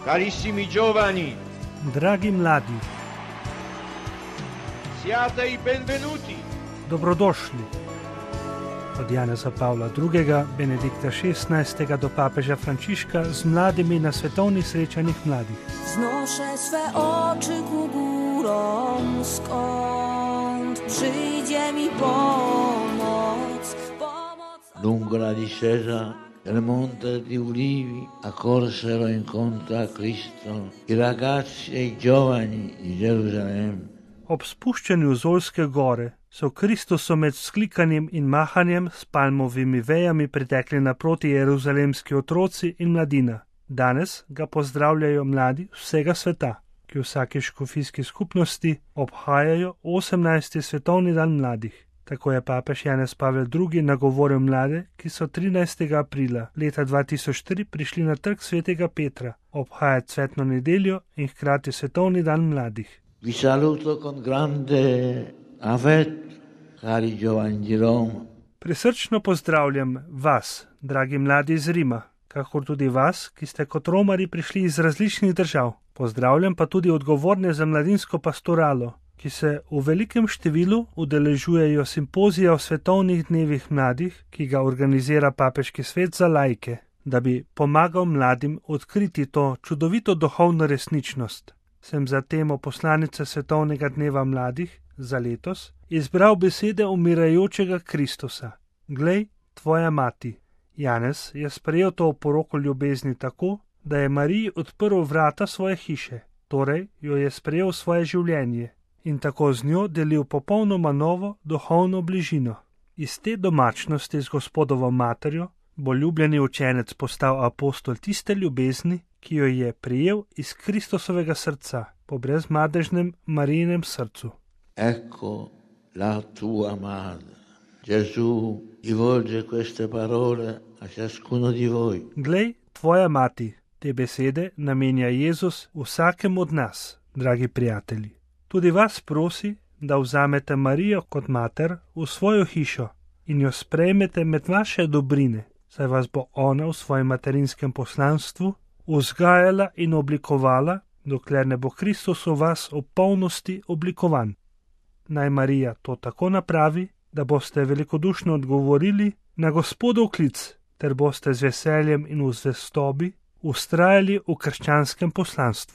Carissimi giovani, Dragi mladi, siate i benvenuti. dobrodošli. Od Janeza Pavla II., Benedikta XVI. Do papeža Frančiška z mladimi na svetovnih srečanjih mladih. Wznoszę swe oczy ku górom, skąd przyjdzie mi pomoc. Lungo la discesa del monte di Ulivi accorsero incontro a Cristo i ragazzi e i giovani di Gerusalemme. Ob spuščanju z Olske gore so Kristusu med vzklikanjem in mahanjem s palmovimi vejami pritekli naproti jeruzalemski otroci in mladina. Danes ga pozdravljajo mladi vsega sveta, ki v vsaki škofijski skupnosti obhajajo 18. svetovni dan mladih. Tako je papež Janez Pavel II. Nagovoril mlade, ki so 13. aprila leta 2003 prišli na trg svetega Petra obhajati cvetno nedeljo in hkrati svetovni dan mladih. Vi saluto con grande affetto, cari giovani di Roma. Prisrčno pozdravljam vas, dragi mladi iz Rima, kakor tudi vas, ki ste kot romari prišli iz različnih držav. Pozdravljam pa tudi odgovorne za mladinsko pastoralo, ki se v velikem številu udeležujejo simpozija o svetovnih dnevih mladih, ki ga organizira Papeški svet za laike, da bi pomagal mladim odkriti to čudovito duhovno resničnost. Sem za temo poslanice Svetovnega dneva mladih za letos izbral besede umirajočega Kristusa. Glej, tvoja mati. Janez je sprejel to oporoko ljubezni tako, da je Mariji odprl vrata svoje hiše, torej jo je sprejel v svoje življenje in tako z njo delil popolnoma novo duhovno bližino. Iz te domačnosti z Gospodovo materjo bo ljubljeni učenec postal apostol tiste ljubezni, ki jo je prijel iz Kristusovega srca po brezmadežnem Marijinem srcu. Ecco la tua madre. Gesù rivolge queste parole a ciascuno di voi. Glej, tvoja mati. Te besede namenja Jezus vsakemu od nas, dragi prijatelji. Tudi vas prosi, da vzamete Marijo kot mater v svojo hišo in jo sprejmete med vaše dobrine, saj vas bo ona v svojem materinskem poslanstvu vzgajala in oblikovala, dokler ne bo Kristus v vas v polnosti oblikovan. Naj Marija to tako napravi, da boste velikodušno odgovorili na Gospodov klic, ter boste z veseljem in v zvestobi vztrajali v krščanskem poslanstvu.